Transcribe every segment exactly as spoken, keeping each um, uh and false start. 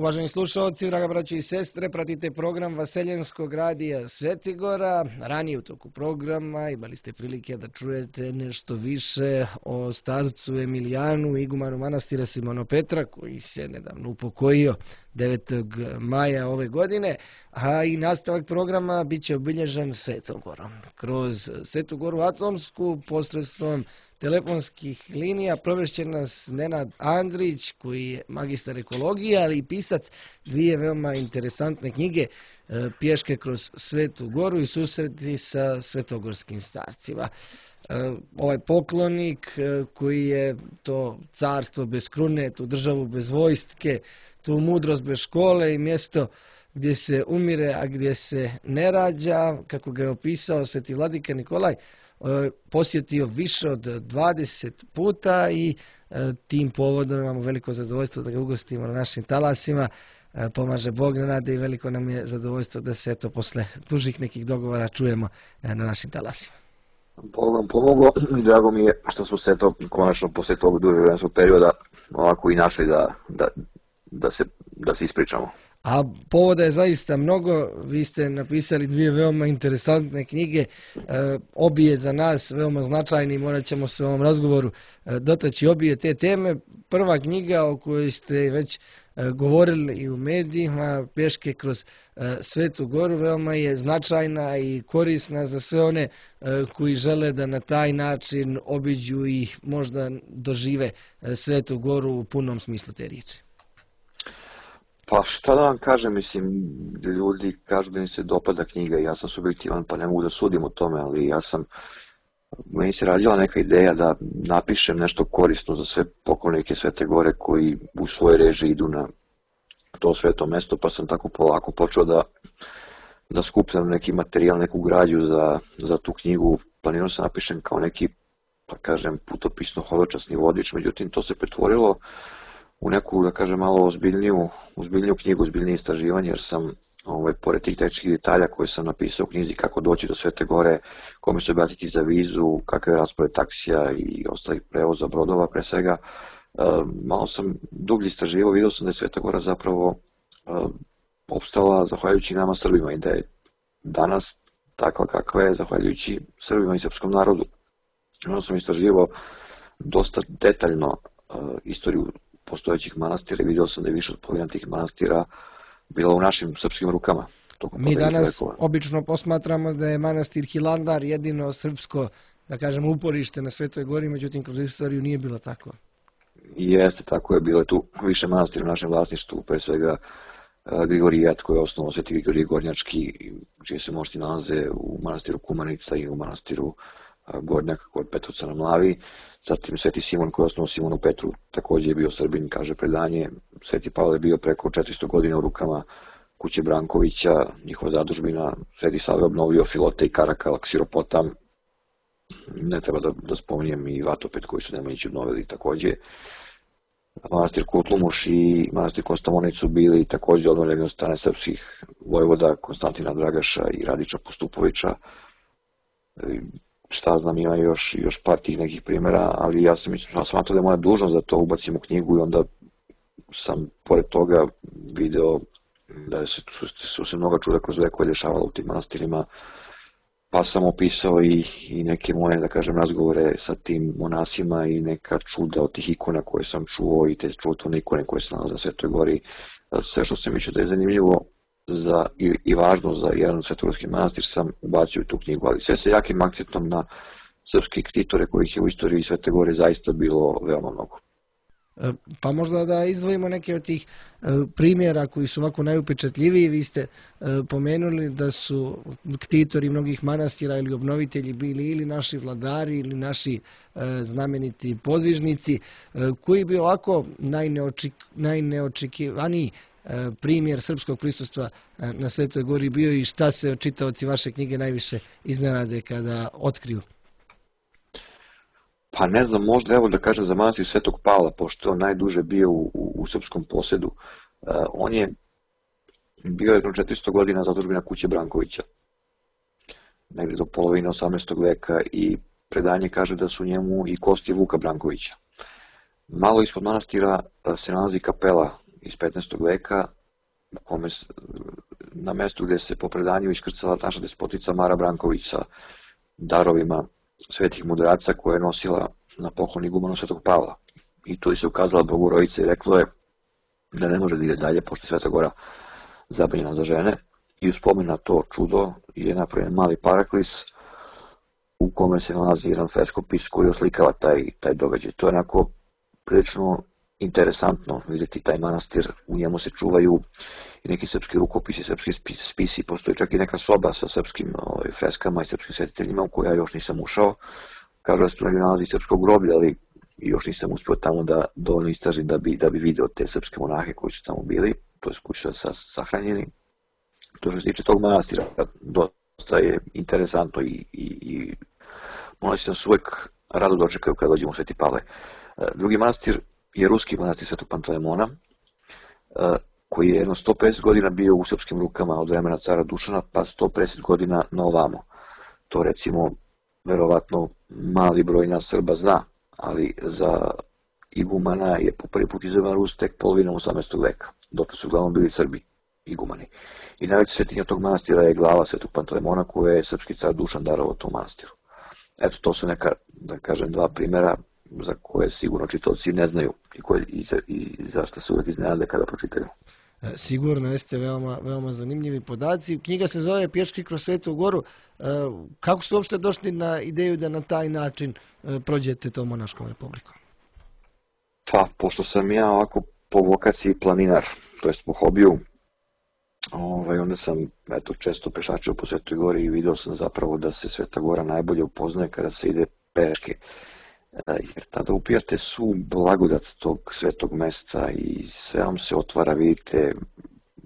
Uvaženi slušalci, draga braćo i sestre, pratite program Vaseljenskog radija Svetigora. Ranije u toku programa imali ste prilike da čujete nešto više o starcu Emilijanu, igumanu manastira Simonopetra, koji se nedavno upokojio devetog maja ove godine, a i nastavak programa bit će obilježen Svetom Gorom. Kroz Svetu Goru Atomsku posredstvom telefonskih linija provešće nas Nenad Andrić, koji je magistar ekologije, ali i pisac dvije veoma interesantne knjige, Pješke kroz Svetu Goru i susreti sa svetogorskim starcima. Ovaj poklonik koji je to carstvo bez krune, tu državu bez vojske, tu mudrost bez škole i mjesto gdje se umire, a gdje se ne rađa, kako ga je opisao sveti vladika Nikolaj, posjetio više od dvadeset puta i tim povodom imamo veliko zadovoljstvo da ga ugostimo na našim talasima. Pomaže Bog, Nenade, i veliko nam je zadovoljstvo da se eto posle dužih nekih dogovora čujemo na našim talasima. Bog vam pomogao i drago mi je što smo se to konačno posle tog dužeg vremenskog perioda ovako i našli da, da, da, se, da se ispričamo. A povoda je zaista mnogo, vi ste napisali dvije veoma interesantne knjige, obje za nas veoma značajne i morat ćemo se u ovom razgovoru dotaći obje te teme. Prva knjiga o kojoj ste već govorili i u medijima, Pješke kroz Svetu Goru, veoma je značajna i korisna za sve one koji žele da na taj način obiđu i možda dožive Svetu Goru u punom smislu te riječi. Pa šta da vam kažem, mislim, ljudi kažu da im se dopada knjiga i ja sam subjektivan pa ne mogu da sudim o tome, ali ja sam, meni se radila neka ideja da napišem nešto korisno za sve poklonike Svete Gore koji u svojoj režiji idu na to sveto mesto, pa sam tako polako počeo da, da skupljam neki materijal, neku građu za, za tu knjigu. Planirao sam napišem kao neki, pa kažem, putopisno hodočasni vodič, međutim to se pretvorilo u neku, da kažem, malo ozbiljniju, ozbiljniju knjigu, ozbiljnije istraživanje, jer sam, ovaj, pored tih tehničkih detalja koje sam napisao u knjizi, kako doći do Svete Gore, kome se obratiti za vizu, kakav je raspored taksija i ostalih prevoza brodova, pre svega, malo sam dublje istraživao, vidio sam da je Sveta Gora zapravo opstala zahvaljujući nama Srbima i da je danas takva kakva je zahvaljujući Srbima i srpskom narodu. Onda sam istraživao dosta detaljno istoriju postojećih manastira i vidio sam da je više od polovine tih manastira bila u našim srpskim rukama. Mi danas obično posmatramo da je manastir Hilandar jedino srpsko, da kažem, uporište na Svetoj Gori, međutim kroz istoriju nije bilo tako. Jeste, tako je, bilo je tu više manastira u našem vlasništvu, pre svega Grigorijat koji je osnovao Sveti Grigorije Gornjački, čije se mošti nalaze u manastiru Kumanica i u manastiru Gornjak kod Petrovca na Mlavi. Zatim Sveti Simon koji je osnovao Simonu Petru, također je bio Srbin, kaže predanje. Sveti Pavle je bio preko četiristo godina u rukama kuće Brankovića, njihova zadužbina. Sveti Sava je obnovio Filote i Karakal, Ksiropotam. Ne treba da, da spominjem i Vatopet koji su Nemanjići obnovili također. Manastir Kutlumuš i manastir Kostamonić su bili također obnovljeni od strane srpskih vojvoda Konstantina Dragaša i Radića Postupovića. Šta znam, ima još, još par tih nekih primjera, ali ja sam smatrao da je moja dužnost da to ubacim u knjigu i onda sam pored toga video da su, su se mnoga čuda kroz vekove dešavala u tim manastirima, pa sam opisao i, i neke moje, da kažem, razgovore sa tim monasima i neka čuda od tih ikona koje sam čuo i te čudotvorne ikone koje se nalaze na Svetoj Gori. Sve što sam mislio da je zanimljivo za, i, i važno za jedan svetogorski manastir sam ubacio u tu knjigu, ali sve sa jakim akcentom na srpske ktitore kojih je u istoriji Svete Gore zaista bilo veoma mnogo. Pa možda da izdvojimo neke od tih primjera koji su ovako najupečatljiviji. Vi ste pomenuli da su ktitori mnogih manastira ili obnovitelji bili ili naši vladari ili naši znameniti podvižnici. Koji bi ovako najneoček, najneočekivaniji primjer srpskog prisustva na Svetoj Gori bio i šta se čitaoci vaše knjige najviše iznenade kada otkriju? Pa ne znam, možda evo da kažem za manastir Svetog Pavla, pošto je on najduže bio u, u, u srpskom posjedu. Uh, on je bio jedno četiristo godina zadužbina kuće Brankovića, negdje do polovine osamnaestog veka, i predanje kaže da su njemu i kosti Vuka Brankovića. Malo ispod manastira se nalazi kapela iz petnaestog veka, u kome na mestu gdje se po predanju iskrcala naša despotica Mara Branković sa darovima svetih mudraca koje je nosila na poklon igumanu Svetog Pavla. I tu je se ukazala Bogorodica i reklo je da ne može da ide dalje, pošto je Sveta Gora zabranjena za žene. I u spomen na to čudo je napravljen mali paraklis u kome se nalazi jedan freskopis koji oslikava taj, taj događaj. To je onako prilično interesantno vidjeti taj manastir, u njemu se čuvaju i neki srpski rukopisi, srpski spisi, postoji čak i neka soba sa srpskim ovaj, freskama i srpskim svetiteljima u koju ja još nisam ušao. Kažu da se tu negdje nalazi srpsko groblje, ali još nisam uspio tamo da dovoljno istražim da bi, da bi video te srpske monahe koji su tamo bili, to je koji su sahranjeni. To što se tiče tog manastira, dosta je interesantno i, i, i monasi nas uvek rado dočekaju kada dođemo u Sveti Pavle. Drugi manastir je ruski manastir Svetog Panteleimona, koji je jedno sto pedeset godina bio u srpskim rukama od vremena cara Dušana, pa sto pedeset godina na ovamo. To recimo, verovatno, mali broj nas Srba zna, ali za igumana je po prvi put izabran Rus tek polovinom osamnaestog veka, dok su uglavnom bili Srbi igumani. I najveća svetinja tog manastira je glava Svetog Panteleimona koje je srpski car Dušan darovao tom manastiru. Eto, to su neka, da kažem, dva primjera za koje sigurno čitaoci ne znaju i, koje, i, za, i zašto se uvek iznenade kada pročitaju. Sigurno jeste veoma, veoma zanimljivi podaci. Knjiga se zove Pješke kroz Svetu Goru. Kako ste uopšte došli na ideju da na taj način prođete tom monaškom republikom? Pa, pošto sam ja ovako po vokaciji planinar, to jest po hobiju, ovaj, onda sam eto, često pešačio po Svetoj Gori i vidio sam zapravo da se Sveta Gora najbolje upoznaje kada se ide peške. Jer tada upijate svu blagodat tog svetog mesta i sve vam se otvara, vidite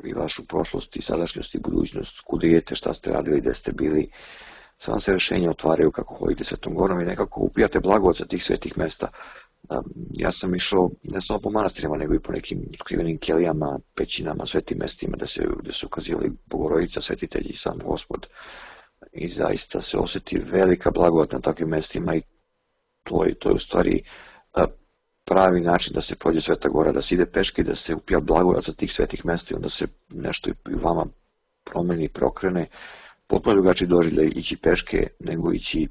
i vašu prošlost i sadašnjost i budućnost, kuda idete, šta ste radili, gde ste bili, sve vam se rešenja otvaraju kako hodite Svetom Gorom i nekako upijate blagodat sa tih svetih mesta. Ja sam išao ne samo po manastirima, nego i po nekim skrivenim kelijama, pećinama, svetim mestima gde, se, gde su ukazivali Bogorodica, svetitelji i sam Gospod. I zaista se osjeti velika blagodat na takvim mestima i To je, to je u stvari pravi način da se prođe Sveta Gora, da se ide peške, da se upija blagodat sa tih svetih mesta i onda se nešto i vama promeni, preokrene. Potpuno drugačiji doživljaj ići peške nego ići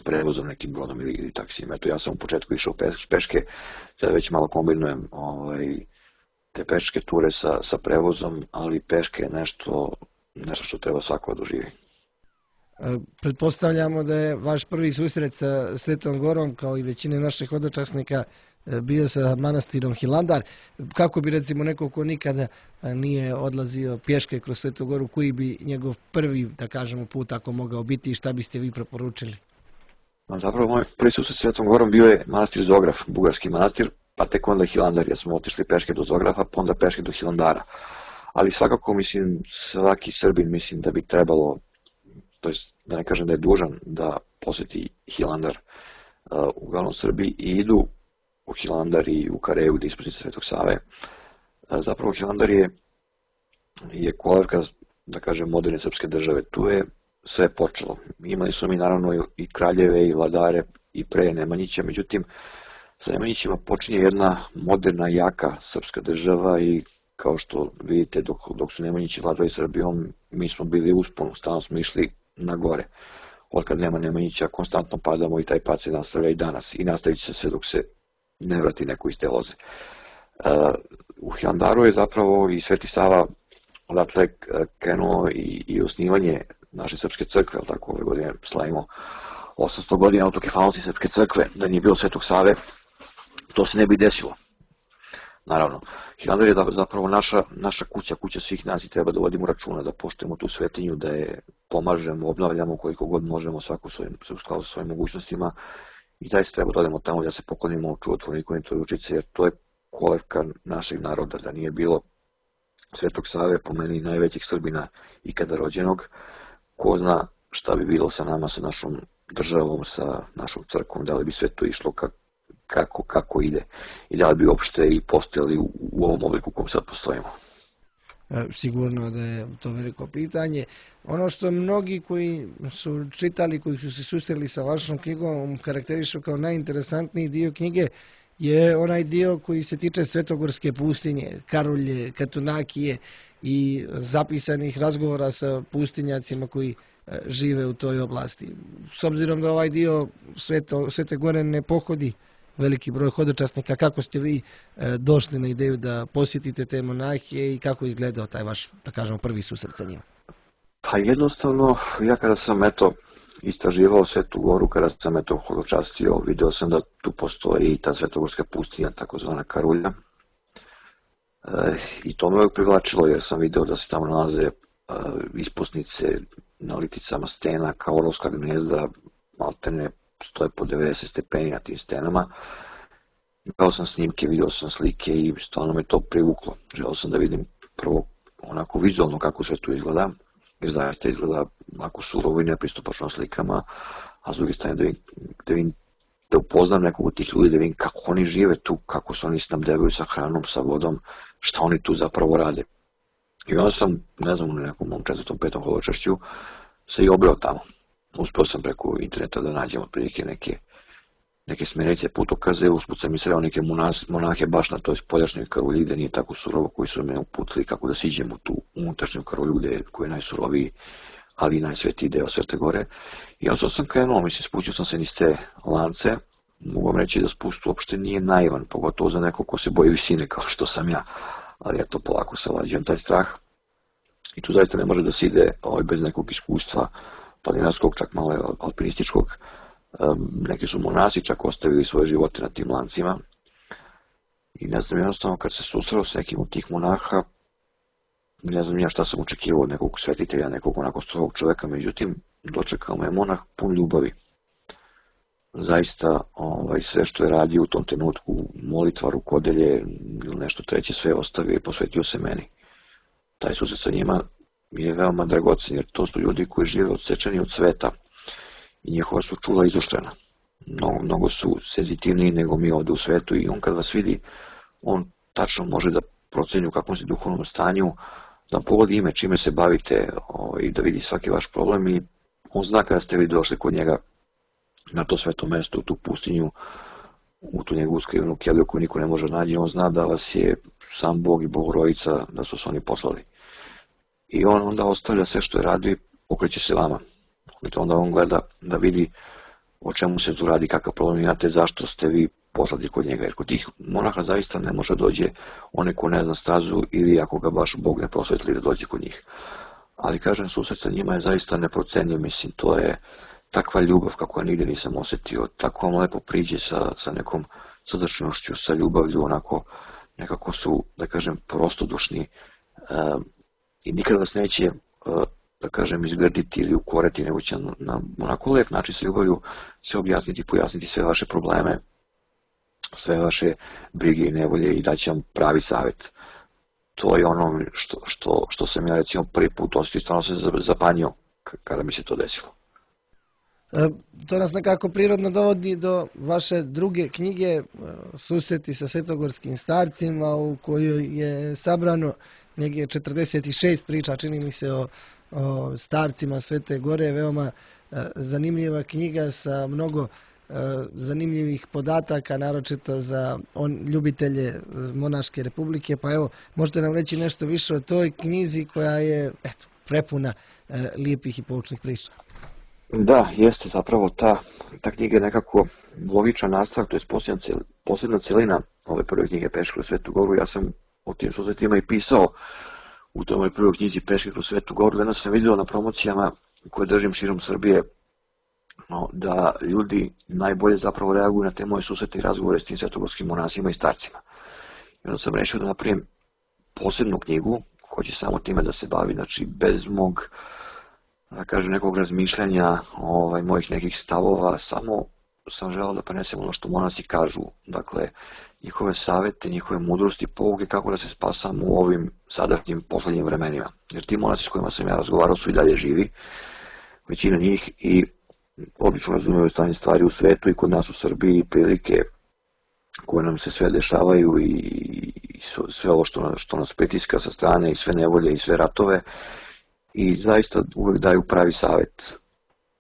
prevozom nekim brodom ili, ili taksijem. Eto, ja sam u početku išao peške, sada već malo kombinujem ovaj, te peške ture sa, sa prevozom, ali peške je nešto, nešto što treba svako doživi. Pretpostavljamo da je vaš prvi susret sa Svetom Gorom, kao i većine naših hodočasnika, bio sa manastirom Hilandar. Kako bi recimo neko ko nikada nije odlazio pješke kroz Svetu Goru, koji bi njegov prvi, da kažemo, put ako mogao biti i šta biste vi preporučili? Zapravo moj prvi susret sa Svetom Gorom bio je manastir Zograf, bugarski manastir, pa tek onda Hilandar, jer smo otišli peške do Zografa, pa onda peške do Hilandara. Ali svakako, mislim, svaki Srbin, mislim da bi trebalo, to je, da ne kažem da je dužan da posjeti Hilandar. Uh, uglavnom Srbi i idu u Hilandar i u Kareju gdje je ispusnica Svetog Save. Uh, zapravo Hilandar je, je kolevka, da kažem, moderne srpske države. Tu je sve počelo. Imali su mi naravno i kraljeve i vladare i pre Nemanjića, međutim sa Nemanjićima počinje jedna moderna, jaka srpska država i kao što vidite dok, dok su Nemanjići vladali Srbijom, mi smo bili u usponu, stalno smo išli na gore. Od kad nema Nemanjića, konstantno padamo i taj pad se nastavlja i danas i nastavit će se sve dok se ne vrati neko iz te loze. Uh, u Hilandaru je zapravo i Sveti Sava odatle krenuo i, i osnivanje naše srpske crkve, ali tako ove godine slavimo osamsto godina autokefalnosti srpske crkve, da nije bilo Svetog Save, to se ne bi desilo. Naravno, Hilandar je zapravo naša, naša kuća, kuća svih nas i treba da vodimo računa, da poštujemo tu svetinju, da je pomažemo, obnavljamo koliko god možemo svaku svojim, u skladu sa svojim mogućnostima i zaista treba da odemo tamo da se poklonimo čudotvorniku Nikoli Ružici, jer to je kolevka našeg naroda, da nije bilo Svetog Save, po meni najvećih Srbina ikada rođenog, ko zna šta bi bilo sa nama, sa našom državom, sa našom crkvom, da li bi sve to išlo kako Kako, kako ide i da li bi uopšte i postojali u, u ovom obliku u kom sad postojimo. Sigurno da je to veliko pitanje. Ono što mnogi koji su čitali, koji su se susreli sa vašom knjigom, karakterišu kao najinteresantniji dio knjige je onaj dio koji se tiče Svetogorske pustinje, Karulje, Katunakije i zapisanih razgovora sa pustinjacima koji žive u toj oblasti. S obzirom da ovaj dio Sveto, Svete Gore ne pohodi veliki broj hodočasnika, kako ste vi došli na ideju da posjetite te monahije i kako je izgledao taj vaš, da kažemo, prvi susret sa njima? Pa jednostavno, ja kada sam eto istraživao Svetu Goru, kada sam eto hodočastio, video sam da tu postoji i ta Svetogorska pustinja, takozvana Karulja. E, I to me uvijek privlačilo jer sam video da se tamo nalaze e, ispusnice na liticama stena kao orovska gnezda, maltene stoje po devedeset stepeni na tim stenama. Gledao sam snimke, video sam slike i stvarno me to privuklo. Želeo sam da vidim prvo onako vizualno kako sve tu izgleda, jer zaista izgleda onako surovo i nepristupačno slikama, a s druge strane da vidim, da, vidim, da upoznam nekog od tih ljudi, da vidim kako oni žive tu, kako se oni snabdevaju sa hranom, sa vodom, šta oni tu zapravo rade. I onda sam, ne znam, u nekom mom četvrtom, petom hodočašću se i obrao tamo. Uspio sam preko interneta da nađem otprilike neke, neke smjernice, putokaze, usput sam i sreo neke monas, monahe baš na toj spoljašnjoj Karulji gde nije tako surovo, koji su me uputili kako da siđem u tu unutrašnju Karulju gde koji je najsuroviji, ali i najsvetiji deo Svete Gore. I onda sam krenuo, mislim, spustio sam se niz te lance, mogu vam reći da spust uopšte nije naivan, pogotovo za neko ko se boji visine kao što sam ja, ali ja to polako savlađujem taj strah. I tu zaista ne može da se ide ovaj, bez nekog iskustva planinarskog, čak malo alpinističkog. Neki su monasi čak ostavili svoje živote na tim lancima. I ne znam, jednostavno kad se susreo s nekim od tih monaha, ne znam ja šta sam očekivao od nekog svetitelja, nekog onako strogog čoveka, međutim dočekao me monah pun ljubavi. Zaista ovaj, sve što je radio u tom trenutku, molitva, rukodelje ili nešto treće, sve ostavio i posvetio se meni. Taj susret sa njima je veoma dragocen, jer to su ljudi koji žive odsečeni od sveta i njihova su čula izoštrena. Mnogo, mnogo su senzitivniji nego mi ovde u svetu i on kad vas vidi, on tačno može da proceni u kakvom se duhovnom stanju, da vam pogodi ime čime se bavite i da vidi svaki vaš problem i on zna kada ste vi došli kod njega na to sveto mesto, u tu pustinju, u tu njegovu skrivenu keliju koju niko ne može naći, on zna da vas je sam Bog i Bogorodica, da su se oni poslali. I on onda ostavlja sve što je radio i okreće se vama. I onda on gleda da vidi o čemu se tu radi, kakav problem imate, zašto ste vi poslati kod njega. Jer kod tih monaha zaista ne može dođe onaj ko ne zna stazu ili ako ga baš Bog ne prosvetli da dođe kod njih. Ali kažem, susret sa njima je zaista neprocenjiv, mislim, to je takva ljubav kako ja nigde nisam osetio, tako vam lepo priđe sa, sa nekom srdačnošću, sa ljubavlju, onako nekako su, da kažem, prostodušni um, i nikad vas neće, uh, da kažem, izgrditi ili ukoreti, nego će na, na onako lep način sa ljubavlju sve objasniti, pojasniti sve vaše probleme, sve vaše brige i nevolje i daće vam pravi savjet. To je ono što, što, što sam ja recimo prvi put osjetio, stvarno se zapanjio kada mi se to desilo. To nas nekako prirodno dovodi do vaše druge knjige, Susreti sa svetogorskim starcima, u kojoj je sabrano negdje četrdeset šest priča, čini mi se, o, o starcima Svete Gore. Veoma zanimljiva knjiga sa mnogo zanimljivih podataka, naročito za on, ljubitelje Monaške republike. Pa evo, možete nam reći nešto više o toj knjizi koja je eto, prepuna e, lijepih i poučnih priča. Da, jeste zapravo ta, ta knjiga je nekako logičan nastavak, to je posebna, cel, posebna celina ove prve knjige Peške kroz Svetu Goru. Ja sam o tim susretima i pisao u toj prvoj knjizi Peške kroz Svetu Goru. Jedno sam vidio na promocijama koje držim širom Srbije, no, da ljudi najbolje zapravo reaguju na te moje susrete i razgovore s tim svetogorskim monasima i starcima. I onda sam rešio da napravim posebnu knjigu koja će samo time da se bavi, znači bez mog, da kažem, nekog razmišljanja, ovaj, mojih nekih stavova, samo sam želeo da prenesem ono što monasi kažu, dakle, njihove savete, njihove mudrosti, pouke kako da se spasam u ovim sadašnjim poslednjim vremenima. Jer ti monasi s kojima sam ja razgovarao su i dalje živi, većina njih, i odlično razumiju stanje stvari u svetu i kod nas u Srbiji, prilike koje nam se sve dešavaju i sve ovo što, što nas pritiska sa strane i sve nevolje i sve ratove, i zaista uvek daju pravi savjet.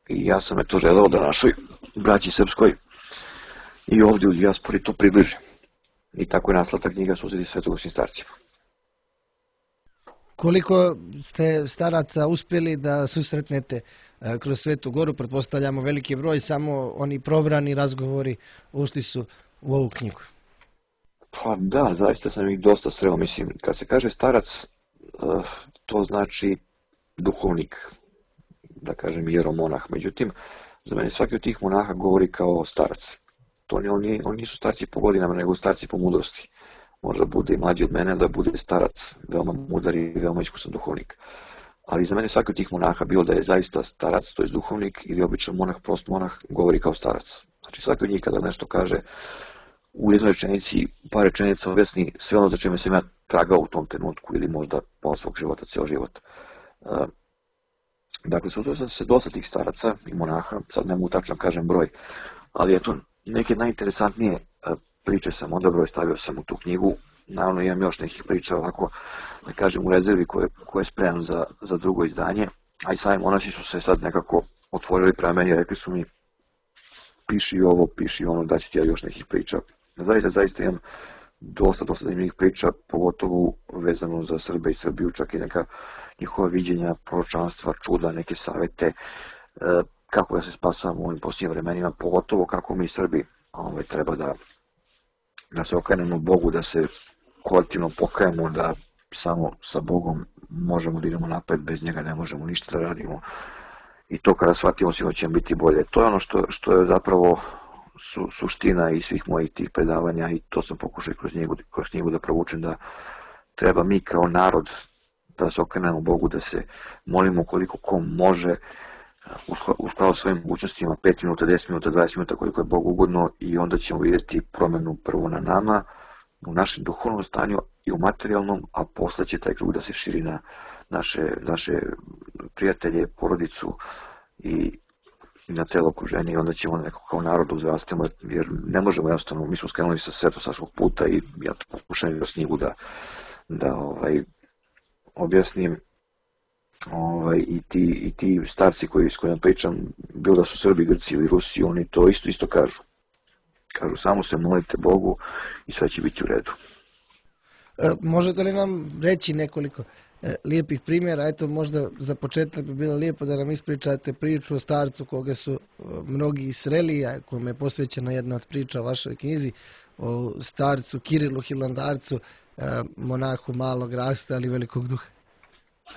I ja sam je to želeo da našoj braći srpskoj i ovdje u dijaspori to približi. I tako je nastala ta knjiga Susreti svetogorskih starcima. Koliko ste staraca uspjeli da susretnete kroz Svetu Goru? Pretpostavljamo veliki broj, samo oni probrani razgovori ušli su u ovu knjigu. Pa da, zaista sam ih dosta sreo. Mislim, kad se kaže starac, to znači duhovnik, da kažem jeromonah. Međutim, za mene svaki od tih monaha govori kao starac. To oni, oni, oni nisu starci po godinama, nego starci po mudrosti. Možda bude i mlađi od mene, da bude starac, veoma mudar i veoma iskusan duhovnik. Ali za mene svaki od tih monaha, bilo da je zaista starac, to je duhovnik, ili običan monah, prost monah, govori kao starac. Znači svaki od njih kada nešto kaže u jednoj rečenici, par rečenica objasni sve ono za čime sam ja tragao u tom trenutku ili možda pola svog života, cijel život. Dakle, susreo sam se dosta tih staraca i monaha, sad ne mogu tačno kažem broj, ali eto, neke najinteresantnije priče sam odabrao i stavio sam u tu knjigu. Naravno imam još nekih priča ovako, da kažem, u rezervi koje, koje spremam za, za drugo izdanje, a i sami monasi su se sad nekako otvorili prema meni i rekli su mi piši ovo, piši ono, da ću ti ja još nekih priča. Zaista, zaista imam dosta, dosta zanimljivih priča, pogotovo vezano za Srbe i Srbiju, čak i neka njihova viđenja, proročanstva, čuda, neke savete, kako da se spasamo u ovim posljednjim vremenima, pogotovo kako mi Srbi ovaj, treba da, da se okrenemo Bogu, da se kolektivno pokajemo, da samo sa Bogom možemo da idemo napred, bez njega ne možemo ništa da radimo. I to kada shvatimo sigurno će biti bolje. To je ono što, što je zapravo su, suština i svih mojih tih predavanja i to sam pokušao kroz knjigu, kroz knjigu da provučem, da treba mi kao narod da se okrenemo Bogu, da se molimo koliko ko može, u skladu svojim mogućnostima, pet minuta, deset minuta, dvadeset minuta, koliko je Bogu ugodno, i onda ćemo vidjeti promjenu prvo na nama, u našem duhovnom stanju i u materijalnom, a posle će taj krug da se širi na naše, naše prijatelje, porodicu i na celo okruženje, i onda ćemo nekako kao narod uzrastemo, jer ne možemo jednostavno, mi smo skrenuli sa svetosavskog puta i ja to pokušam kroz knjigu da, da ovaj, objasnim. Ovaj, i, ti, i ti starci koji, s kojima pričam, bilo da su Srbi, Grci ili Rusi, oni to isto isto kažu. Kažu, samo se molite Bogu i sve će biti u redu. E, možete li nam reći nekoliko e, lijepih primjera? Eto, možda za početak bi bilo lijepo da nam ispričate priču o starcu koga su e, mnogi sreli, a kome je posvećena jedna od priča u vašoj knjizi, o starcu Kirilu Hilandarcu, e, monahu malog rasta, ali velikog duha.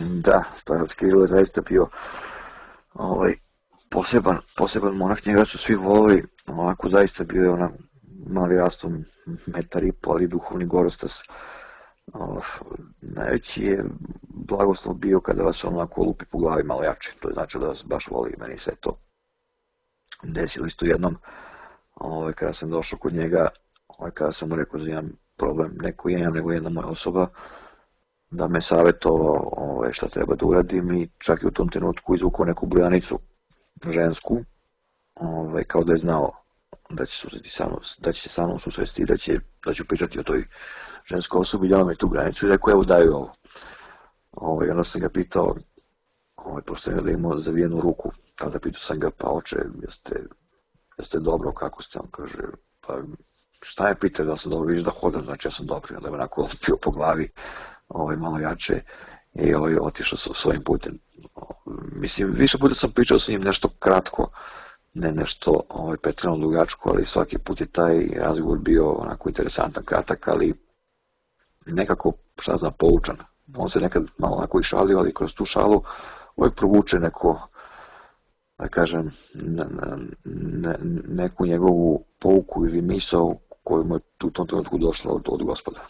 Da, starac Kiril je zaista bio ovaj, poseban, poseban monah, njega su svi volili, onako zaista bio je ona mali rastom, metar i pol, ali duhovni gorostas. Uh, najveći je blagoslov bio kada vas onako lupi po glavi malo jače, to je znači da vas baš voli. Meni se to desilo isto jednom, ovaj, kada sam došao kod njega, ovaj, kada sam mu rekao da imam problem, neko imam nego jedna moja osoba, da me savjetovao ovaj, šta treba da uradim, i čak i u tom trenutku izvukao neku brojanicu žensku, ovaj, kao da je znao da će, sa mnom, da će se sa mnom susresti i da, će, da ću pričati o toj ženskoj osobi, dao mi tu granicu i rekao, evo daju ovo. Ovaj, onda sam ga pitao, ovaj, prosto je da imao zavijenu ruku, tada pitao sam ga, pa oče, jeste, jeste dobro, kako ste? On kaže, pa šta je pitao, da sam dobro, vidiš da hodam, znači ja sam dobro, onda je onako pio po glavi, ovaj, malo jače, i ovaj, otišao sa svojim putem. Mislim, više puta sam pričao sa njim nešto kratko, ne nešto ovaj, pretrano dugačko, ali svaki put je taj razgovor bio onako interesantan, kratak, ali nekako, šta znam, poučan. On se nekad malo onako i šalio, ali kroz tu šalu uvijek provuče neko, da kažem, ne, ne, neku njegovu pouku ili misao koju mu je u tom trenutku došla od, od Gospoda.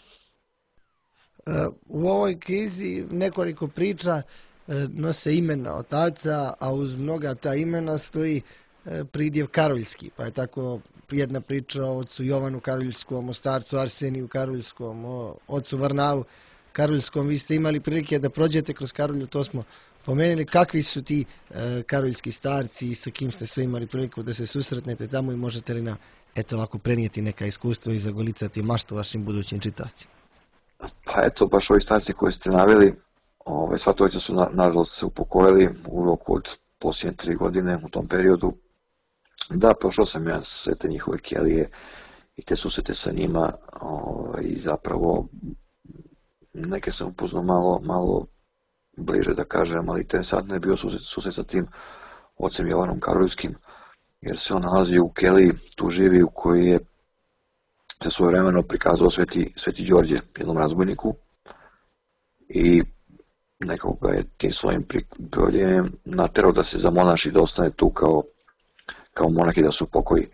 U ovoj knjizi nekoliko priča nose imena otaca, a uz mnoga ta imena stoji pridjev Karoljski, pa je tako jedna priča o ocu Jovanu Karoljskom, o starcu Arseniju Karoljskom, o ocu Varnavu Karoljskom. Vi ste imali prilike da prođete kroz Karolju, to smo pomenuli. Kakvi su ti e, karoljski starci i sa kim ste sve imali priliku da se susretnete tamo, i možete li nam eto ovako prenijeti neka iskustva i zagolicati maštu vašim budućim čitavcima? Pa eto, baš ovi starci koji ste naveli, ove, sva trojica su na, nažalost se upokojili u roku od posljednje tri godine u tom periodu. Da, prošao sam ja sve te njihove kelije i te susrete sa njima ovaj, i zapravo neke sam upoznao malo, malo bliže da kažem, ali interesantno je bio susret, susret sa tim ocem Jovanom Karolskim, jer se on nalazi u keliji, tu živi, u kojoj je se svojevremeno prikazao Sveti, Sveti Đorđe, jednom razbojniku, i nekako ga je tim svojim prijavljenjem naterao da se zamonaši, da ostane tu kao, kao monah i da se upokoji.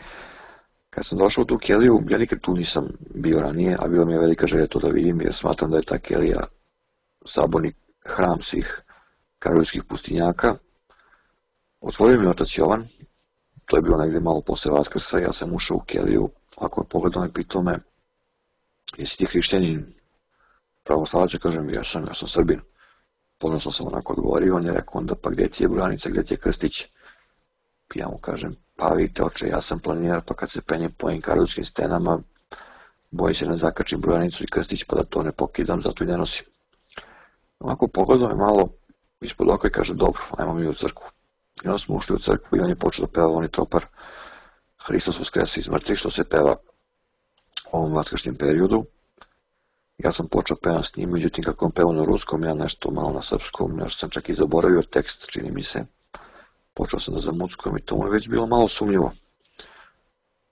Kad sam došao u tu keliju, ja nikad tu nisam bio ranije, a bilo mi je velika želja to da vidim, jer smatram da je ta kelija saborni hram svih karolskih pustinjaka. Otvorio mi otac Jovan, to je bilo negdje malo posle Vaskrsa, ja sam ušao u keliju, ako je pogledao me, pitao me, jesi ti hrišćanin? Pravoslavac, ja kažem, ja sam, ja sam Srbin. Ponosno sam onako odgovorio, on je rekao onda, pa gdje ti je Brojanica, gdje ti je krstić? Ja mu kažem, pa vidite oče, ja sam planinar, pa kad se penjem po ovim karolskim stenama, bojim se ne zakačim Brojanicu i krstić, pa da to ne pokidam, zato i ne nosim. Onako pogledao me malo ispod oka i kaže, dobro, ajmo mi u crkvu. I onda smo ušli u crkvu i on je počeo da peva onaj tropar Hristos Voskreса iz mrtvih, što se peva u ovom vaskršnjem periodu. Ja sam počeo pevam s njim, međutim kako on peva na ruskom, ja nešto malo na srpskom, nešto sam čak i zaboravio tekst, čini mi se. Počeo sam da zamuckujem i to mu je već bilo malo sumnjivo.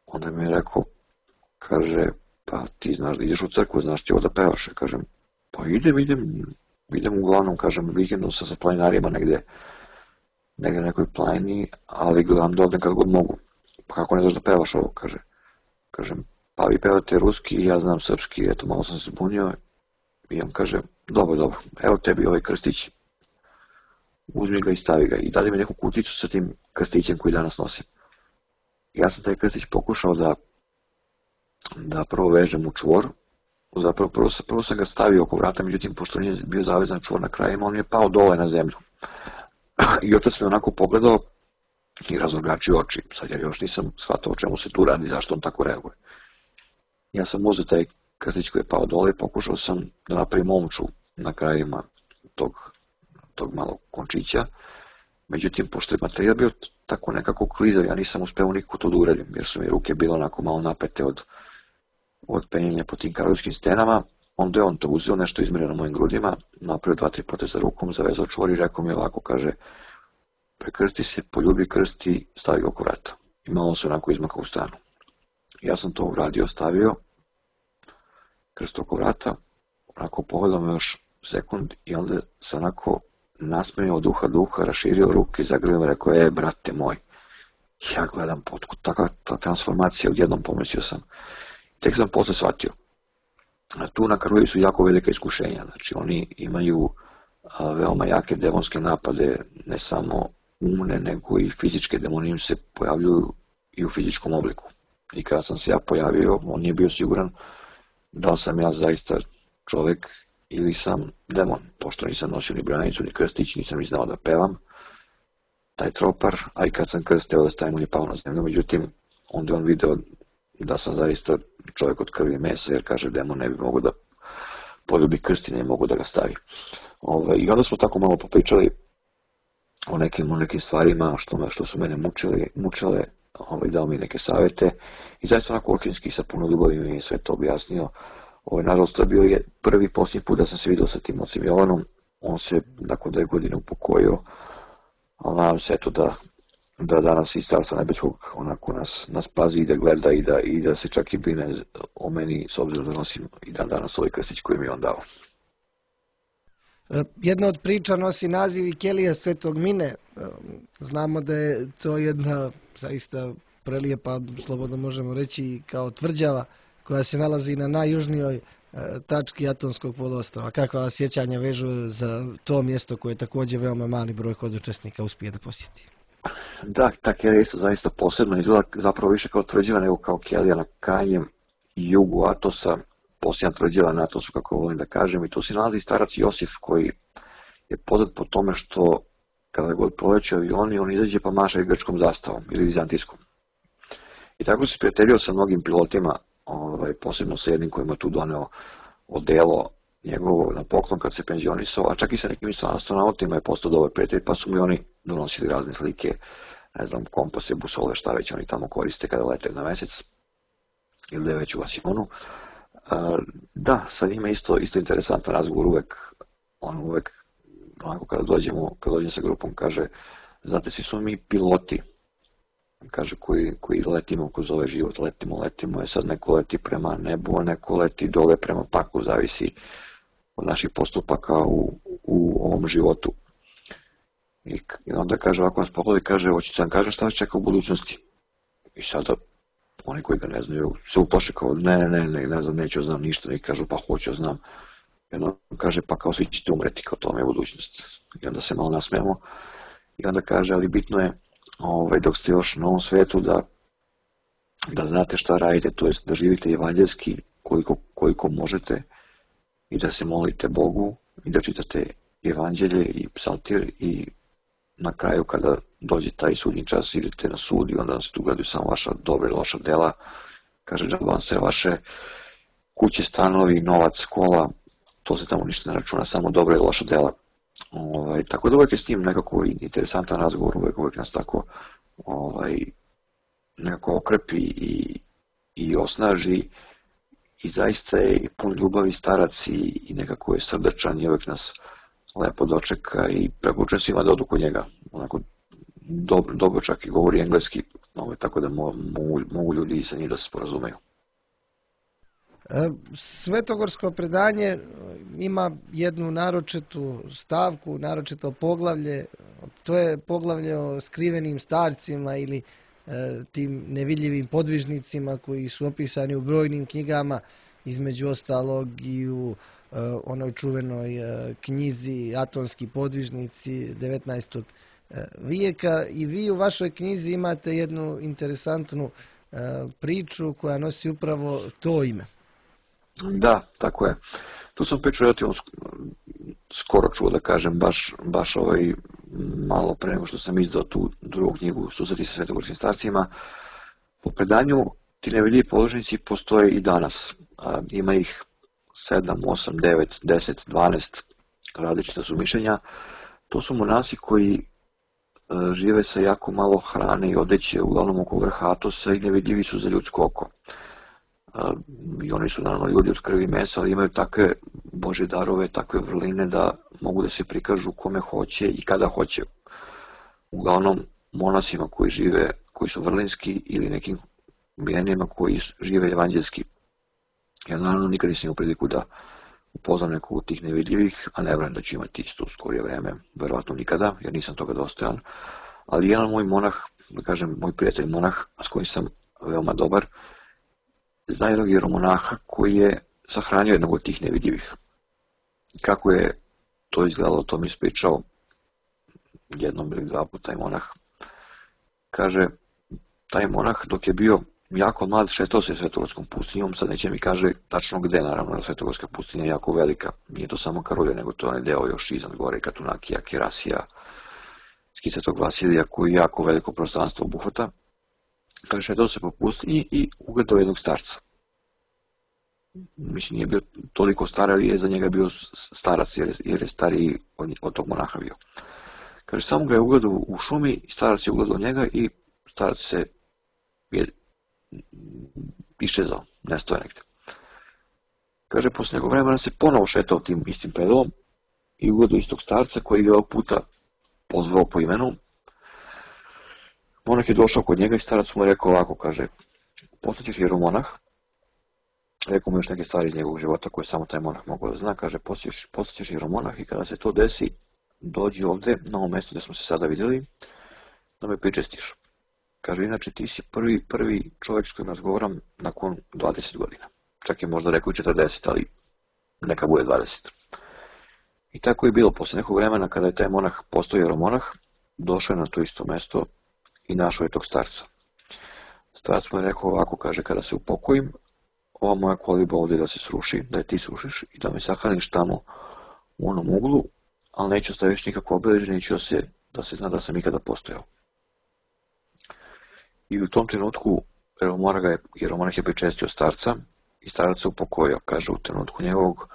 Onda mi je rekao, kaže, pa ti znaš da ideš u crkvu, znaš ti ovo da pevaš? Ja kažem, pa idem, idem, idem uglavnom, kažem, vikendom sam sa planinarima negde, negde na nekoj planini, ali gledam da odem kad god mogu. Pa kako ne znaš da pevaš ovo, kaže. Kažem, pa vi pevate ruski i ja znam srpski, eto malo sam se zbunio. I on kaže, dobro, dobro, evo tebi ovaj krstić, uzmi ga i stavi ga. I dali mi neku kuticu sa tim krstićem koji danas nosim. Ja sam taj krstić pokušao da, da prvo vežem u čvor, zapravo prvo, prvo sam ga stavio oko vrata, međutim pošto nije bio zavezan čvor na krajima, on je pao dole na zemlju. I otac me onako pogledao i razorgačio oči, sad jer još nisam shvatao o čemu se tu radi, zašto on tako reaguje. Ja sam uzeo taj krstić koji je pao dole i pokušao sam da napravim omču na krajima tog, tog malog končića. Međutim, pošto je materijal bio tako nekako klizav, ja nisam uspeo nikako to da uradim, jer su mi ruke bile onako malo napete od, od penjenja po tim karolskim stenama. Onda je on to uzeo, nešto izmjerio na mojim grudima, napravio dva, tri poteza rukom, zavezao čvor i rekao mi ovako, kaže, prekrsti se, poljubi krst i stavi ga oko vrata. I malo se onako izmaka u stanu. Ja sam to uradio, stavio krst oko vrata, onako pogledao me još sekund i onda se onako nasmejao od uha do uha, raširio ruke i zagrlio me, rekao, e, brate moj, ja gledam potkud, takva ta transformacija, odjednom pomislio sam. Tek sam posle shvatio. Tu na Karoliji su jako velika iskušenja, znači oni imaju a, veoma jake demonske napade, ne samo umne, nego i fizičke demoni im se pojavljuju i u fizičkom obliku. I kada sam se ja pojavio, on nije bio siguran da li sam ja zaista čovek ili sam demon, pošto nisam nosio ni branicu, ni krstić, nisam ni znao da pevam taj tropar, a i kad sam krsteo da stavim, on je pao na zemlju, međutim, onda je on video da sam zaista čovjek od krvi i mesa, jer kaže demon ne bi mogo da poljubi krst i ne mogu da ga stavi. Ove, I onda smo tako malo popričali o nekim, o nekim stvarima što, me, što su mene mučili, mučile, ove, dao mi neke savete i zaista onako očinski sa puno ljubavi mi je sve to objasnio. Ove, nažalost, to je bio je prvi posljednji put da sam se vidio sa tim ocem Jovanom, on se nakon dve godine upokojio, ali nadam se eto da da danas iz Carstva nebeskog onako nas, nas pazi i da gleda i da, i da se čak i brine o meni, s obzirom da nosim i dan danas ovaj krstić koji mi je on dao. Jedna od priča nosi naziv i Kelija Svetog Mine. Znamo da je to jedna zaista prelijepa, slobodno možemo reći, kao tvrđava koja se nalazi na najjužnijoj tački Atonskog poluostrva. Kakva sjećanja vežu za to mjesto koje također veoma mali broj hodočasnika uspije da posjeti? Da, ta kelija je isto zaista posebno, izgleda zapravo više kao tvrđava nego kao kelija na krajnjem jugu Atosa, posljednja tvrđava na Atosu, kako volim da kažem, i tu se nalazi starac Josif koji je poznat po tome što kada god proleću avioni, on izađe pa maše grčkom zastavom ili vizantijskom. I tako se prijateljio sa mnogim pilotima, ovaj, posebno sa jednim kojima tu doneo odelo njegovo na poklon kad se penzionisao, a čak i sa nekim isto astronautima je postao dobar prijatelj, pa su mi oni donosili razne slike ne znam, kompase, busole, šta već oni tamo koriste kada lete na mesec ili da je već u asionu. Da, sa njima isto, isto interesantan razgovor uvek, on uvek, onako kada dođemo, kada dođem sa grupom, kaže, znate, svi smo mi piloti, kaže, koji, koji letimo kroz ovaj život, letimo, letimo, je sad neko leti prema nebu, a neko leti dole prema paklu, zavisi od naših postupaka u, u ovom životu. I, i onda kaže, ovako nas pogleda i kaže, hoćete vam kažem šta vas čeka u budućnosti. I sada, oni koji ga ne znaju, se uplaše kao, ne, ne, ne, ne znam, neću znam ništa, i kažu, pa hoću znam. I onda kaže, pa kao svi ćete umreti, kao tome je budućnost. I onda se malo nasmijemo. I onda kaže, ali bitno je, ovaj, dok ste još na ovom svetu, da, da znate šta radite, to jest da živite evanđelski koliko, koliko možete i da se molite Bogu i da čitate evanđelje i psaltir i na kraju kada dođe taj sudnji čas idete na sud i onda se tu gledaju samo vaša dobra i loša dela. Kaže, džaba vam se vaše kuće, stanovi, novac, kola, to se tamo ništa ne računa, samo dobra i loša dela. Ovaj, tako da uvek je s tim nekako interesantan razgovor, uvek, uvek nas tako ovaj, nekako okrepi i, i osnaži i zaista je pun ljubavi starac i, i nekako je srdačan i uvek nas lepo dočeka i preporučujem svima da odu kod njega. Onako, dobro, dobro čak i govori engleski, ovaj, tako da mo, mogu, mogu ljudi sa njim da se sporazumeju. Svetogorsko predanje ima jednu naročitu stavku, naročito poglavlje, to je poglavlje o skrivenim starcima ili e, tim nevidljivim podvižnicima koji su opisani u brojnim knjigama, između ostalog i u e, onoj čuvenoj e, knjizi Atonski podvižnici devetnaestog vijeka. I vi u vašoj knjizi imate jednu interesantnu e, priču koja nosi upravo to ime. Da, tako je. Tu sam priču relativno skoro čuo, da kažem, baš, baš ovaj, malo pre nego što sam izdao tu drugu knjigu Susreti sa svetogorskim starcima. Po predanju ti nevidljivi podvižnici postoje i danas. A, ima ih sedam, osam, devet, deset, dvanaest različita su mišljenja. To su monasi koji a, žive sa jako malo hrane i odeće, uglavnom oko vrha Atosa i nevidljivi su za ljudsko oko. I oni su naravno ljudi od krvi i mesa, ali imaju takve Božje darove, takve vrline da mogu da se prikažu kome hoće i kada hoće. Uglavnom monasima koji žive, koji su vrlinski ili nekim milenijima koji žive evanđelski. Ja naravno nikad nisam imao priliku da upoznam nekog od tih nevidljivih, a ne vjerujem da ću imati isto u skorije vreme, verovatno nikada, jer nisam toga dostojan. Ali jedan moj monah, da kažem moj prijatelj monah, s kojim sam veoma dobar, zna jednog jeromonaha koji je sahranio jednog od tih nevidljivih. Kako je to izgledalo, to mi ispričao jednom ili dva puta taj monah. Kaže, taj monah dok je bio jako mlad šetao se Svetogorskom pustinjom, sad neće mi kaže tačno gde, naravno, Svetogorska pustinja je jako velika, nije to samo Karolje, nego to je onaj deo još iznad gore, Katunakija, Kerasija, Svetog Vasilija, koji je jako veliko prostranstvo obuhvata. Kaže, šetao se po pustinji i ugledao jednog starca. Mislim, nije bio toliko star, ali je za njega bio starac, jer, jer je stariji od, od tog monaha bio. Kaže, samo ga je ugledao u šumi, starac je ugledao njega i starac se je išezao, nestoje negde. Kaže, posle nekog vremena se ponovo šetao tim istim predalom i ugledao istog starca koji je ovog puta pozvao po imenu. Monah je došao kod njega i starac mu je rekao ovako, kaže, postaćeš jeromonah, rekao mu još neke stvari iz njegovog života koje samo taj monah mogao da zna, kaže, postaćeš jeromonah i kada se to desi, dođi ovde, na ovo mesto gde smo se sada vidjeli, da me pričestiš. Kaže, inače ti si prvi, prvi čovjek s kojim razgovaram nakon dvadeset godina. Čak je možda rekao i četrdeset, ali neka bude dvadeset. I tako je bilo, posle nekog vremena kada je taj monah postao jeromonah, došao je na to isto mesto i našao je tog starca. Starac mu je rekao ovako, kaže, kada se upokojim, ova moja koliba ovdje da se sruši, da je ti srušiš i da me sahraniš tamo u onom uglu, ali neću ostaviti nikakvo obeležje, neću da se, da se zna da sam ikada postojao. I u tom trenutku jeromonah je pričestio starca i starac se upokojio. Kaže, u trenutku njegovog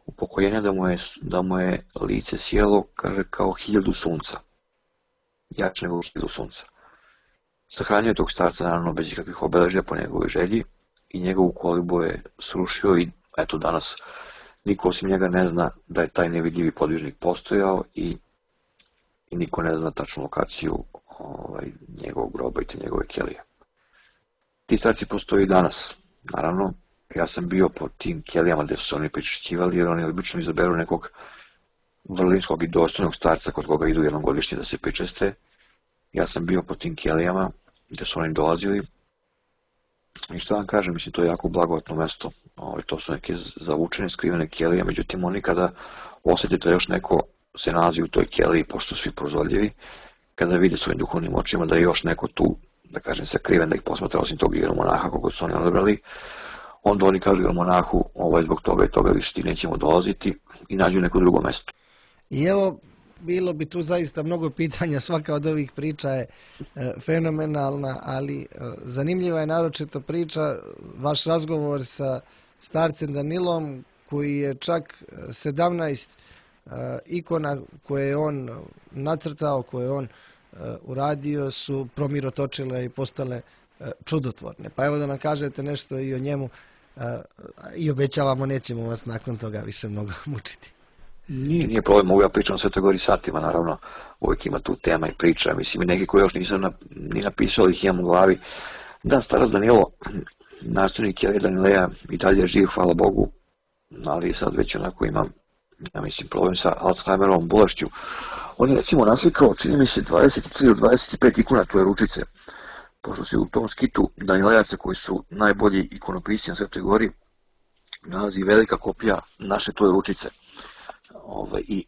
upokojenja da mu je, da mu je lice sjelo, kaže, kao hiljadu sunca. Jače nego hiljadu sunca. Sahranio je tog starca naravno bez ikakvih obeležja po njegovoj želji i njegovu kolibu je srušio i eto danas niko osim njega ne zna da je taj nevidljivi podvižnik postojao i, i niko ne zna tačnu lokaciju ovaj, njegovog groba i te njegove kelije. Ti starci postoji i danas, naravno. Ja sam bio po tim kelijama gde su se oni pričešćivali, jer oni obično izaberu nekog vrlinskog i dostojnog starca kod koga idu jednom godišnje da se pričeste. Ja sam bio po tim kelijama gde su oni dolazili i šta vam kažem, mislim, to je jako blagovatno mesto. Ovo, to su neke zavučene, skrivene kelije, međutim oni kada osjetite još neko se nalazi u toj keliji, pošto su svi prozorljivi, kada vide svojim duhovnim očima da je još neko tu, da kažem, sakriven, da ih posmatra osim tog monaha koga su oni odabrali, onda oni kažu monahu, ovo je zbog toga i toga više ti nećemo dolaziti i nađu neko drugo mesto. I evo, bilo bi tu zaista mnogo pitanja, svaka od ovih priča je e, fenomenalna, ali e, zanimljiva je naročito priča, vaš razgovor sa starcem Danilom, koji je čak sedamnaest e, ikona koje je on nacrtao, koje je on e, uradio, su promirotočile i postale e, čudotvorne. Pa evo da nam kažete nešto i o njemu e, i obećavamo, nećemo vas nakon toga više mnogo mučiti. Nije, nije problem, mogu ja pričam o Svetoj Gori satima, naravno, uvijek ima tu tema i priča, mislim i neki koji još nisam na, ni napisao, ali ih imam u glavi. Da, starac Danilo, nastavnik Kelije Danileja, i dalje je živ, hvala Bogu, ali sad već onako imam, ja mislim, problem sa Alzheimerovom bolešću. On je recimo naslikao, čini mi se, dvadeset tri do dvadeset pet ikona tvoje ručice, pošto se u tom skitu Danilejaca koji su najbolji ikonopisci na Svetoj Gori, nalazi velika kopija naše tvoje ručice. Ove, i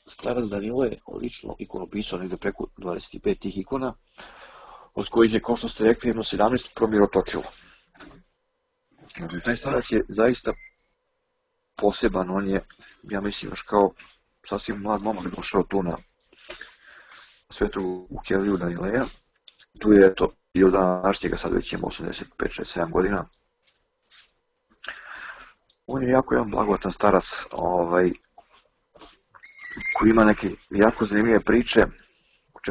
starac Danilo je lično ikonopisao negde preko dvadeset pet tih ikona, od kojih je, kao što ste rekli, jedno sedamnaest promirotočilo. Taj starac je zaista poseban, on je, ja mislim, još kao sasvim mlad momak došao tu na Svetu u Keliju Danileja. Tu je, eto, i od današnjega, sad već ima osamdeset pet šezdeset sedam godina. On je jako jedan blagovatan starac, ovaj, koji ima neke jako zanimljive priče,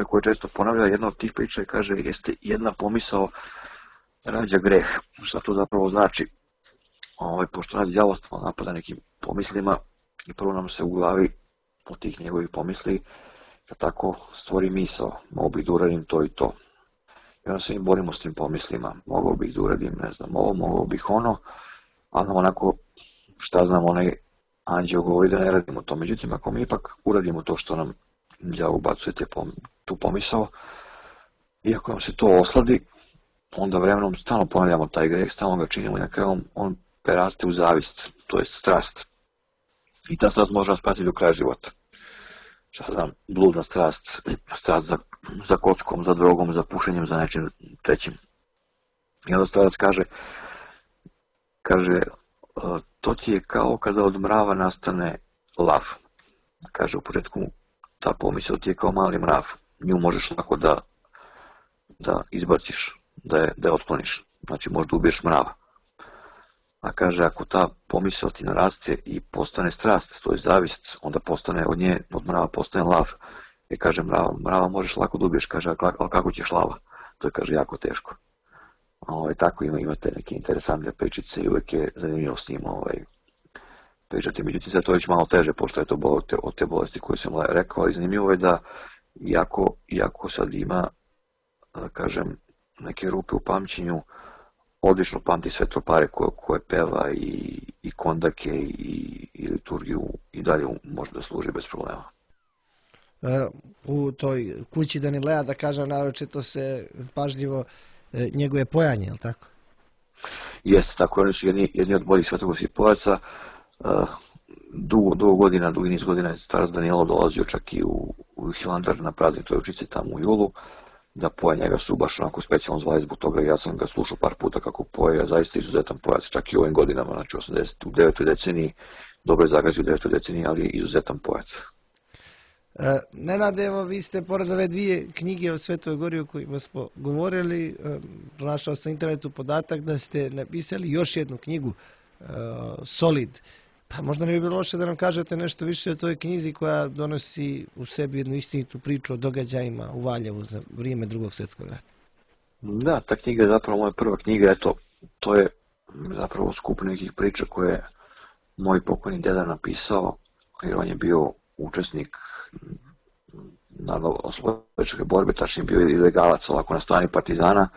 koje često ponavlja. Jedna od tih priča je, kaže, jeste jedna pomisao rađa greh. Šta to zapravo znači? Ovaj, pošto nas djavostvo napada nekim pomislima i prvo nam se u glavi od tih njegovih pomisli da tako stvori misao, mogu bih da uradim to i to. I onda se mi borimo s tim pomislima, mogao bih da uradim, ne znam, ovo, mogao bih ono, ali onako, šta znam, onaj anđeo govori da ne radimo to. Međutim, ako mi ipak uradimo to što nam đavo ubacuje tu pomisao, i ako nam se to osladi, onda vremenom stalno ponavljamo taj greh, stalno ga činimo i na kraju on, on preraste u zavist, to je strast. I ta strast može nas pratiti do kraja života. Šta znam, bludna strast, strast za, za kockom, za drogom, za pušenjem, za nečim trećim. I onda starac kaže, kaže, to ti je kao kada od mrava nastane lav. Kaže, u početku ta pomisao ti je kao mali mrav, nju možeš lako da, da izbaciš, da je, da je otkloniš, znači možda ubiješ mrava. A kaže, ako ta pomisao ti naraste i postane strast, to je zavist, onda postane od nje, od mrava postane lav. I kaže, mrava, mrava možeš lako da ubiješ, kaže, ali kako ćeš lava? To je, kaže, jako teško. Ovaj, tako ima, imate neke interesantne pričice i uvijek je zanimljivo s njim ovaj, pričati. Međutim, sve to već malo teže, pošto je to od te, od te bolesti koje sam rekao, ali zanimljivo je da iako, iako sad ima, da kažem, neke rupe u pamćenju, odlično pamti sve tropare koje, koje peva i, i kondake i, i liturgiju i dalje može da služi bez problema. E, u toj kući Danileja, da kažem, naročito se pažljivo e, njeguje pojanje, je li tako? Jeste, tako, oni su jedni, jedni od boljih svetogorskih pojaca. E, dugo, dugo godina, dugi niz godina je starac Danilo dolazio čak i u, u Hilandar na praznik Trojučice tamo u julu, da poje, njega su baš onako specijalno zvali zbog toga, ja sam ga slušao par puta kako poje, zaista izuzetan pojac, čak i u ovim godinama, znači osamdeset u devetoj deceniji, dobro je zagazio u devetoj deceniji, ali izuzetan pojac. E, Nenade, evo, vi ste pored ove dvije knjige o Svetoj Gori o kojima smo govorili, e, pronašao sam na internetu podatak da ste napisali još jednu knjigu, e, Solid. Pa možda ne bi bilo loše da nam kažete nešto više o toj knjizi koja donosi u sebi jednu istinitu priču o događajima u Valjevu za vrijeme Drugog svjetskog rata. Da, ta knjiga je zapravo moja prva knjiga, eto, to je zapravo skup nekih priča koje je moj pokojni deda napisao, jer on je bio učesnik narodnooslobodilačke borbe, tačnije bio ilegalac ovako na strani partizana.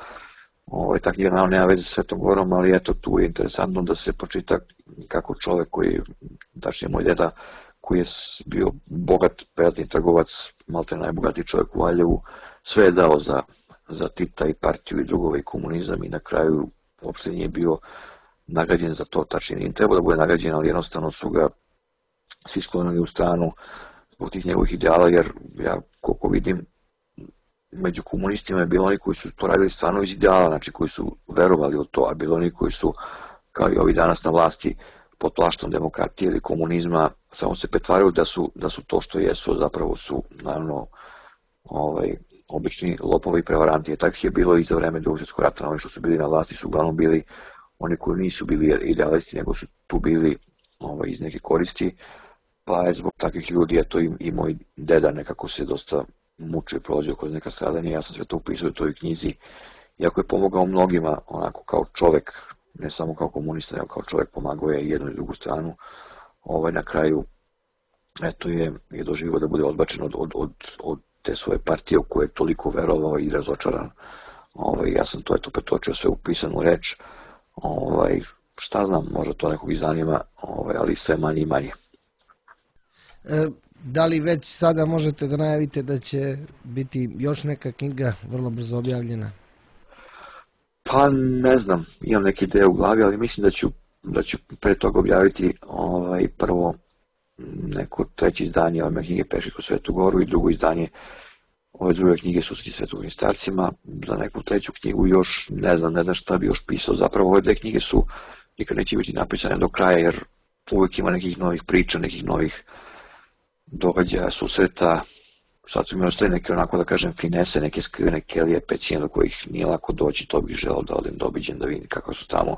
Ovo, ta knjiga naravno nema veze sa Svetom Gorom, ali eto, tu je interesantno da se počita kako čovek koji, tačnije moj deda, koji je bio bogat privatni trgovac, malte najbogatiji čovjek u Valjevu, sve je dao za, za Tita i partiju i drugove i komunizam i na kraju uopšte nije bio nagrađen za to, tačnije nije trebao da bude nagrađen, ali jednostavno su ga svi sklonili u stranu zbog tih njegovih ideala, jer ja koliko vidim, među komunistima je bilo oni koji su to radili stvarno iz ideala, znači koji su verovali u to, a bilo oni koji su, kao i ovi danas na vlasti, pod plaštom demokratije ili komunizma, samo se pretvaraju da su, da su to što jesu, zapravo su, naravno, ovaj, obični lopovi i prevaranti. Takvih je bilo i za vreme Drugog svjetskog rata, oni što su bili na vlasti su uglavnom bili oni koji nisu bili idealisti, nego su tu bili ovaj, iz neke koristi, pa je zbog takvih ljudi, eto i, i moj deda nekako se dosta mučio i prolađao kroz neka stradanja. Ja sam sve to upisao u toj knjizi, iako je pomogao mnogima, onako kao čovek, ne samo kao komunista, nego kao čovek, pomagao je jednu i drugu stranu. Ovaj, na kraju, eto je, je doživio da bude odbačen od, od, od, od te svoje partije u koje je toliko verovao i razočaran. Ovaj, ja sam to eto pretočio sve u pisanu reč. Ovaj, šta znam, možda to nekog i zanima, ovaj, ali sve manje i manje. E, da li već sada možete da najavite da će biti još neka knjiga vrlo brzo objavljena? Pa ne znam, imam neke ideje u glavi, ali mislim da ću, da ću pre toga objaviti ovaj, prvo neko treće izdanje ove knjige Peške kroz Svetu Goru i drugo izdanje ove druge knjige Susreti svetogorskim starcima. Za neku treću knjigu još ne znam, ne znam šta bi još pisao. Zapravo ove dve knjige su nikad neće biti napisane do kraja, jer uvijek ima nekih novih priča, nekih novih događaja, susreta. Sad su mi ostali neke, onako da kažem, finese, neke skrivene kelije, pećine do kojih nije lako doći, to bih želeo da odem, da obiđem, da vidim kako su tamo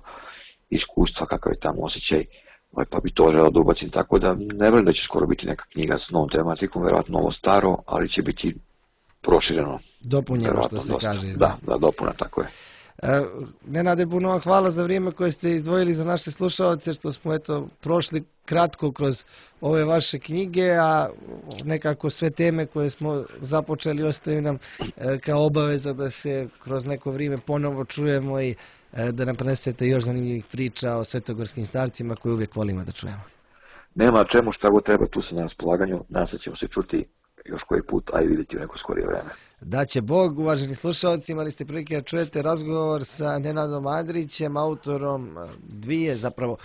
iskustva, kakav je tamo osjećaj, pa bi to želeo da ubacim, tako da ne vjerujem da će skoro biti neka knjiga s novom tematikom, verovatno novo staro, ali će biti prošireno. Dopunjeno, što se dosta. kaže. Da, da, dopuna, tako je. E, Nenade, puno vam hvala za vrijeme koje ste izdvojili za naše slušalce, što smo eto prošli kratko kroz ove vaše knjige, a nekako sve teme koje smo započeli ostaju nam e, kao obaveza da se kroz neko vrijeme ponovo čujemo i e, da nam prenesete još zanimljivih priča o svetogorskim starcima koje uvijek volimo da čujemo. Nema čemu, šta god treba, tu sam na raspolaganju, danas ćemo se čuti još koji put, a i vidjeti u neko skorije vreme. Da će Bog, uvaženi slušalci, imali ste prilike da čujete razgovor sa Nenadom Andrićem, autorom dvije, zapravo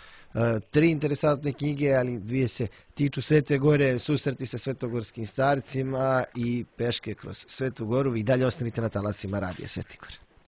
tri interesantne knjige, ali dvije se tiču Svete Gore, Susreti sa svetogorskim starcima i Peške kroz Svetu Goru. Vi dalje ostanite na talasima Radija Sveti Gor.